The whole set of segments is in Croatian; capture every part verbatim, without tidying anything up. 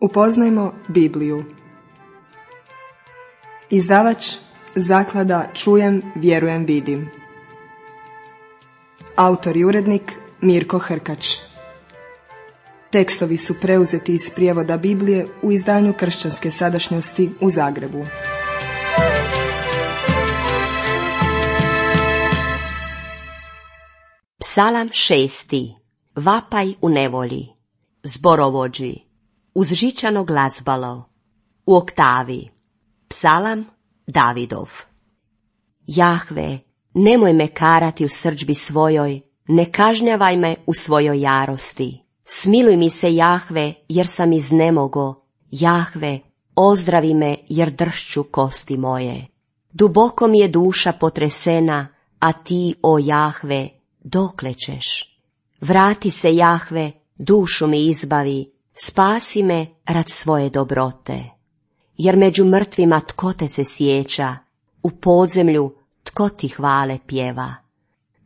Upoznajmo Bibliju. Izdavač Zaklada Čujem, vjerujem, vidim. Autor i urednik Mirko Hrkač. Tekstovi su preuzeti iz prijevoda Biblije u izdanju Kršćanske sadašnjosti u Zagrebu. Psalam šesti. Vapaj u nevolji. Zborovođi. Uz žičano glazbalo. U oktavi. Psalam Davidov. Jahve, nemoj me karati u srdžbi svojoj, ne kažnjavaj me u svojoj jarosti. Smiluj mi se, Jahve, jer sam iznemogo. Jahve, ozdravi me, jer dršću kosti moje. Duboko mi je duša potresena, a ti, o Jahve, dokle ćeš? Vrati se, Jahve, dušu mi izbavi, spasi me rad svoje dobrote. Jer među mrtvima tko te se sjeća, u podzemlju tko ti hvale pjeva.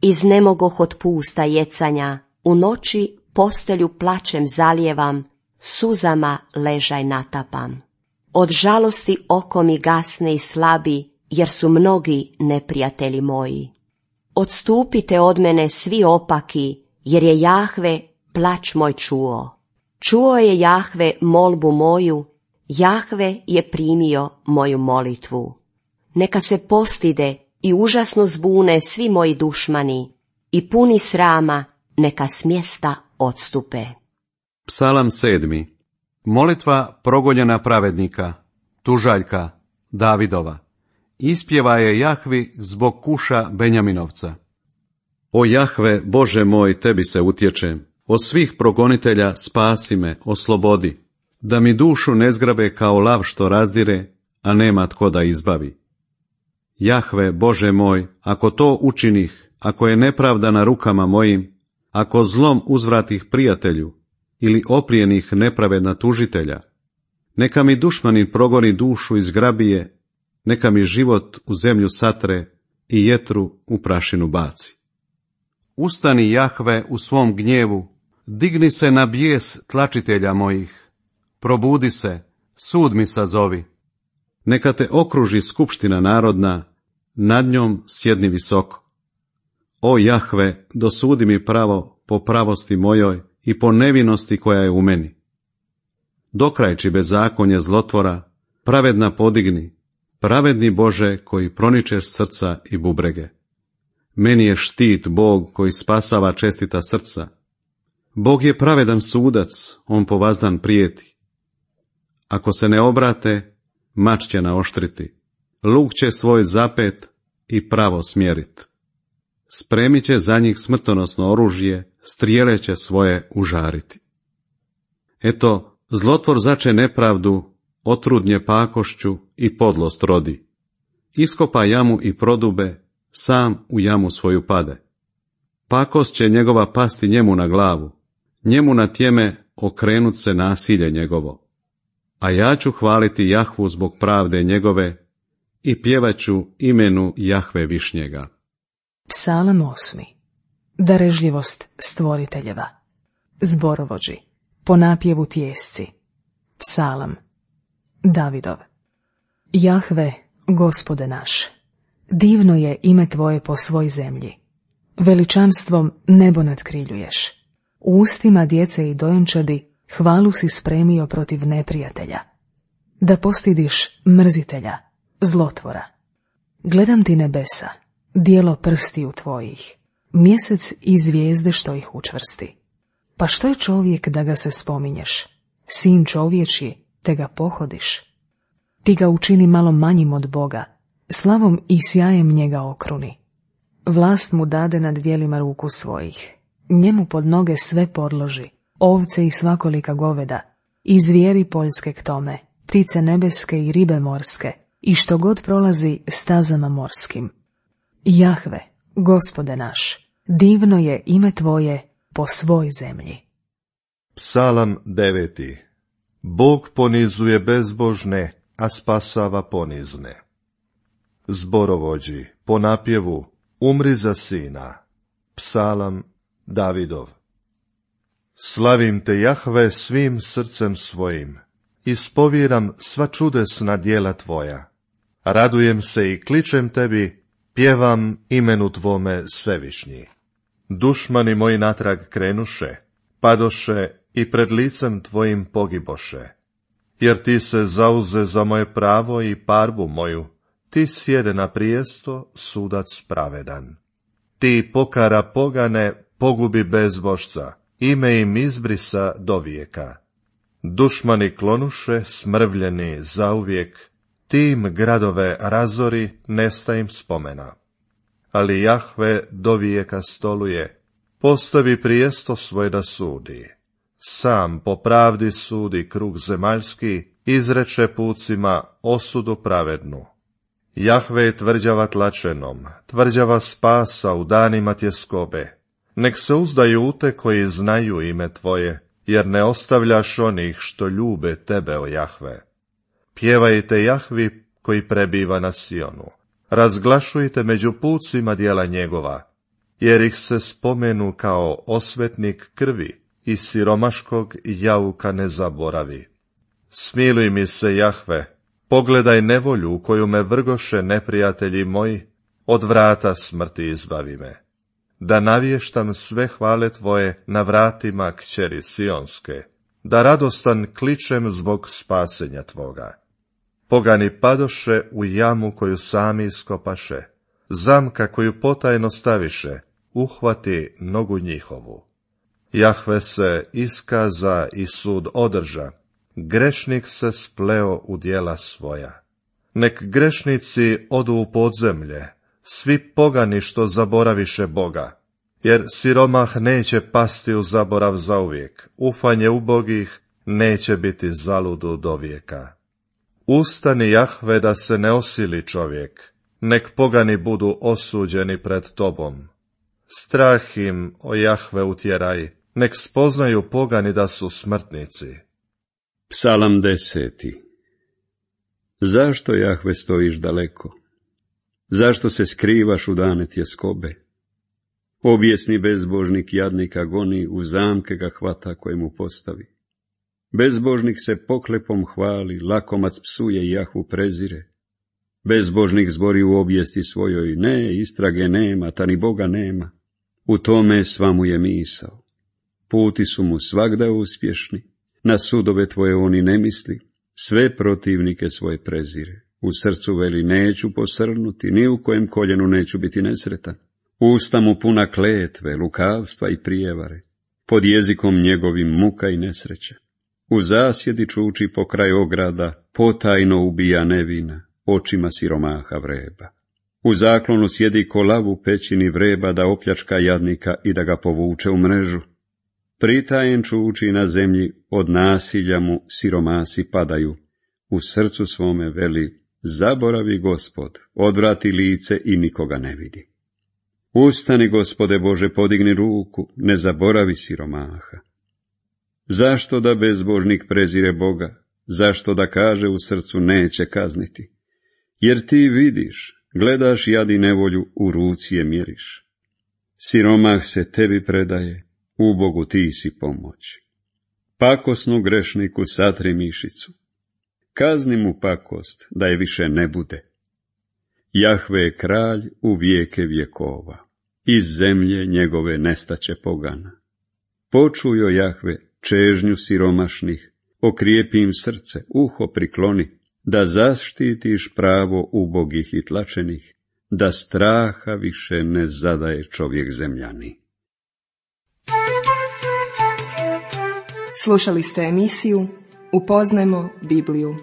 Iznemogoh od pusta jecanja, u noći postelju plačem zalijevam, suzama ležaj natapam. Od žalosti oko mi gasne i slabi, jer su mnogi neprijatelji moji. Odstupite od mene svi opaki, jer je Jahve plač moj čuo. Čuo je Jahve molbu moju, Jahve je primio moju molitvu. Neka se postide i užasno zbune svi moji dušmani, i puni srama neka s mjesta odstupe. Psalam sedmi. Molitva progonjena pravednika, tužaljka, Davidova. Ispjeva je Jahvi zbog Kuša Benjaminovca. O Jahve, Bože moj, tebi se utječem. Od svih progonitelja spasi me, oslobodi. Da mi dušu ne zgrabe kao lav što razdire, a nema tko da izbavi. Jahve, Bože moj, ako to učinih, ako je nepravda na rukama mojim, ako zlom uzvratih prijatelju ili oplijenih nepravedna tužitelja, neka mi dušmanin progoni dušu iz grabije, neka mi život u zemlju satre i jetru u prašinu baci. Ustani, Jahve, u svom gnjevu, digni se na bijes tlačitelja mojih, probudi se, sud mi sazovi. Neka te okruži skupština narodna, nad njom sjedni visoko. O Jahve, dosudi mi pravo po pravosti mojoj i po nevinosti koja je u meni. Dokrajči bezakonje zlotvora, pravedna podigni, pravedni Bože koji proničeš srca i bubrege. Meni je štit Bog koji spasava čestita srca. Bog je pravedan sudac, on po vazdan prijeti. Ako se ne obrate, mač će naoštriti, luk će svoj zapet i pravo smjerit. Spremit će za njih smrtonosno oružje, strijele će svoje užariti. Eto, zlotvor zače nepravdu, otrudnje pakošću i podlost rodi. Iskopa jamu i prodube, sam u jamu svoju pade. Pakost će njegova pasti njemu na glavu, njemu na tjeme okrenut se nasilje njegovo. A ja ću hvaliti Jahvu zbog pravde njegove i pjevaću imenu Jahve Višnjega. Psalam osmi. Darežljivost stvoriteljeva. Zborovođi. Po napjevu tjesci. Psalam Davidov. Jahve, Gospode naš, divno je ime tvoje po svoj zemlji. Veličanstvom nebo nadkriljuješ. U ustima djece i dojenčadi hvalu si spremio protiv neprijatelja. Da postidiš mrzitelja, zlotvora. Gledam ti nebesa, dijelo prstiju tvojih, mjesec i zvijezde što ih učvrsti. Pa što je čovjek da ga se spominješ? Sin čovječji, te ga pohodiš. Ti ga učini malo manjim od Boga, slavom i sjajem njega okruni. Vlast mu dade nad djelima ruku svojih. Njemu pod noge sve podloži, ovce i svakolika goveda, i zvijeri poljske k tome, ptice nebeske i ribe morske, i što god prolazi stazama morskim. Jahve, Gospode naš, divno je ime tvoje po svoj zemlji. Psalam deveti. Bog ponizuje bezbožne, a spasava ponizne. Zborovođi, po napjevu, umri za sina. Psalam Davidov. Slavim te, Jahve, svim srcem svojim, ispovjeram sva čudesna djela tvoja. Radujem se i kličem tebi, pjevam imenu tvome svevišnji. Dušmani moji natrag krenuše, padoše i pred licem tvojim pogiboše. Jer ti se zauze za moje pravo i parbu moju, ti sjede na prijesto, sudac pravedan. Ti pokara pogane, pogubi bezbožca, ime im izbrisa do vijeka. Dušmani klonuše, smrvljeni zauvijek, ti im gradove razori, nesta im spomena. Ali Jahve do vijeka stoluje, postavi prijesto svoj da sudi. Sam po pravdi sudi krug zemaljski, izreče pucima osudu pravednu. Jahve je tvrđava tlačenom, tvrđava spasa u danima tjeskobe. Nek se uzdaju u te koji znaju ime tvoje, jer ne ostavljaš onih što ljube tebe, o Jahve. Pjevajte Jahvi koji prebiva na Sionu. Razglašujte među pucima djela njegova, jer ih se spomenu kao osvetnik krvi i siromaškog jauka ne zaboravi. Smiluj mi se, Jahve, pogledaj nevolju u koju me vrgoše neprijatelji moji, od vrata smrti izbavi me. Da navještam sve hvale tvoje na vratima kćeri Sionske, da radostan kličem zbog spasenja tvoga. Pogani padoše u jamu koju sami iskopaše, zamka koju potajno staviše, uhvati nogu njihovu. Jahve se iskaza i sud održa, grešnik se spleo u djela svoja. Nek grešnici odu u podzemlje, svi pogani što zaboraviše Boga, jer siromah neće pasti u zaborav zauvijek, ufanje ubogih neće biti zaludu do vijeka. Ustani, Jahve, da se ne osili čovjek, nek pogani budu osuđeni pred tobom. Strah im, o Jahve, utjeraj, nek spoznaju pogani da su smrtnici. Psalam deseti. Zašto, Jahve, stojiš daleko? Zašto se skrivaš u dane tjeskobe? Objesni bezbožnik jadnika goni, u zamke ga hvata koje mu postavi. Bezbožnik se poklepom hvali, lakomac psuje i Jahvu prezire. Bezbožnik zbori u objesti svojoj, ne, istrage nema, ta ni Boga nema. U tome sva mu je misao. Puti su mu svagda uspješni, na sudove tvoje oni ne misli, sve protivnike svoje prezire. U srcu veli, neću posrnuti, ni u kojem koljenu neću biti nesretan. Usta mu puna kletve, lukavstva i prijevare, pod jezikom njegovim muka i nesreća. U zasjedi čuči pokraj ograda, potajno ubija nevina, očima siromaha vreba. U zaklonu sjedi ko lav u pećini vreba da opljačka jadnika i da ga povuče u mrežu. Pritajen čuči na zemlji, od nasilja mu siromasi padaju. U srcu svome veli, zaboravi Gospod, odvrati lice i nikoga ne vidi. Ustani, Gospode Bože, podigni ruku, ne zaboravi siromaha. Zašto da bezbožnik prezire Boga? Zašto da kaže u srcu neće kazniti? Jer ti vidiš, gledaš jad i nevolju, u ruci je mjeriš. Siromah se tebi predaje, ubogu ti si pomoć. Pakosnu grešniku satri mišicu. Kazni mu pakost, da je više ne bude. Jahve je kralj u vijeke vjekova, iz zemlje njegove nestaće pogana. Počujo, Jahve, čežnju siromašnih, okrijepi im srce, uho prikloni, da zaštitiš pravo ubogih i tlačenih, da straha više ne zadaje čovjek zemljani. Slušali ste emisiju Upoznajmo Bibliju.